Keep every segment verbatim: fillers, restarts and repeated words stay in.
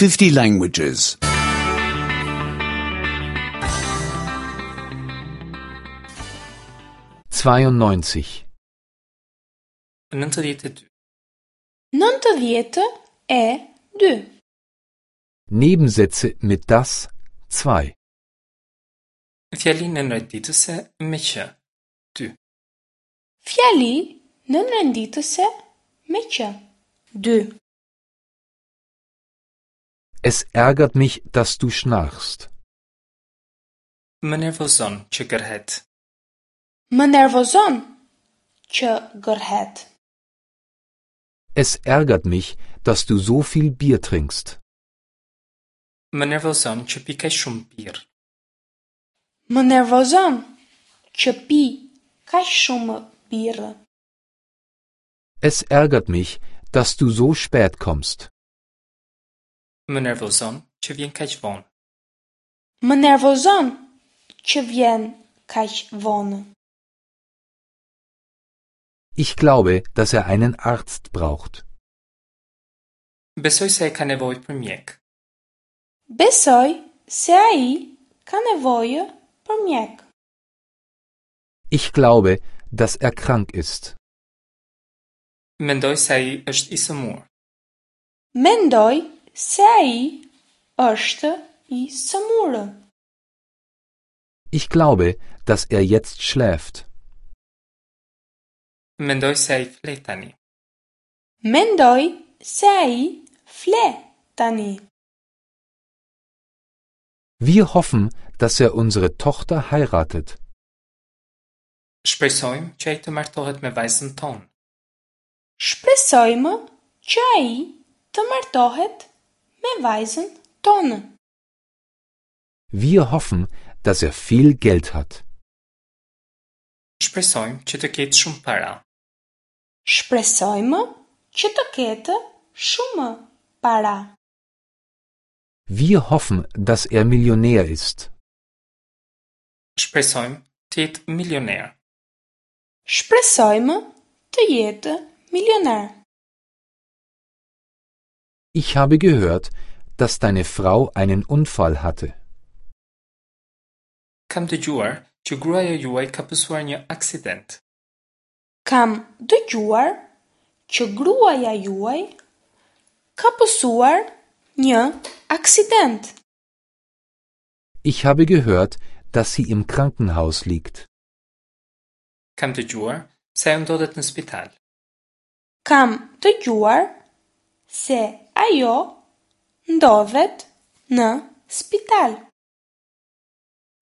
fifty languages. zweiundneunzig nëntëdhjetë e dy. Nëntëdhjetë e dy. Nebensätze mit dass zwei. Fjali nënrenditëse me që. Dy. Fjali nënrenditëse me që. Dy. Es ärgert mich, dass du schnarchst. Më nervozon që gërhet. Më nervozon që gërhet. Es ärgert mich, dass du so viel Bier trinkst. Më nervozon që pi kaq shumë birrë. Më nervozon që pi kaq shumë birrë. Es ärgert mich, dass du so spät kommst. Më nervozon që vjen kaq vonë. Më nervozon që vjen kaq vonë. Ich glaube, dass er einen Arzt braucht. Besoj se ai ka nevojë për mjek. Besoj se ai ka nevojë për mjek. Ich glaube, dass er krank ist. Mendoj se ai është i sëmurë. Mendoj se ai është i sëmurë. Ich glaube, dass er jetzt schläft. Mendoj se ai fle tani. Mendoj se ai fle tani. Wir hoffen, dass er unsere Tochter heiratet. Shpresojmë që ai të martohet me vajzën tonë. Shpresojmë që ai të martohet me vajzën tonë. Wir hoffen, dass er viel Geld hat. Shpresojmë që të ketë shumë para. Shpresojmë që të ketë shumë para. Wir hoffen, dass er Millionär ist. Shpresojmë të jetë milioner. Shpresojmë të jetë milioner. Ich habe gehört, dass deine Frau einen Unfall hatte. Kam dëgjuar që gruaja juaj ka pësuar një aksident. Kam dëgjuar që gruaja juaj ka pësuar një aksident. Ich habe gehört, dass sie im Krankenhaus liegt. Kam dëgjuar se ajo ndodhet në spital. Kam dëgjuar se ajo ndodhet në spital.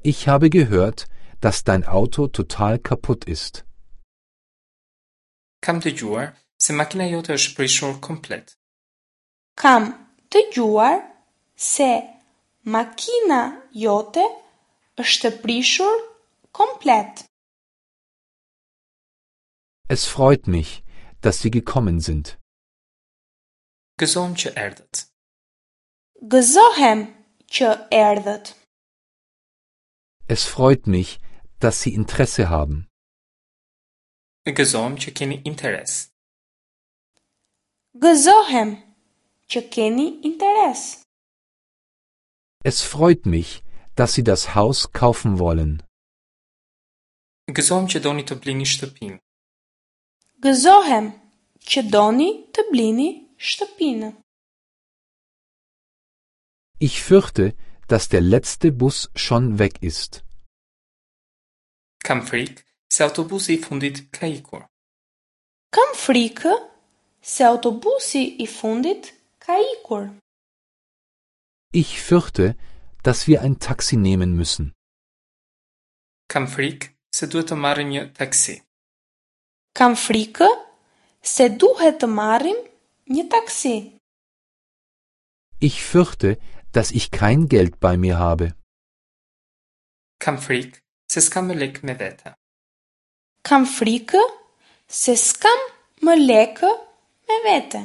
Ich habe gehört, dass dein Auto total kaputt ist. Kam dëgjuar se makina jote është prishur komplet. Kam dëgjuar se makina jote është prishur komplet. Es freut mich, dass Sie gekommen sind. Gëzohem që erdhët. Gëzohem që erdhët. Es freut mich, dass Sie Interesse haben. Gëzohem që keni interes. Gëzohem që keni interes. Es freut mich, dass Sie das Haus kaufen wollen. Gëzohem që doni të blini shtëpinë. Gëzohem që doni të blini shtëpinë. Ich fürchte, dass der letzte Bus schon weg ist. Kam frikë se autobusi i fundit ka ikur. Kam frikë se autobusi i fundit ka ikur. Ich fürchte, dass wir ein Taxi nehmen müssen. Kam frikë se duhet të marrim një taksi. Kam frikë se duhet të marrim një taksi. Ich fürchte, dass ich kein Geld bei mir habe. Kam frikë se s'kam më lek me vete. Kam frikë se s'kam më lekë me vete.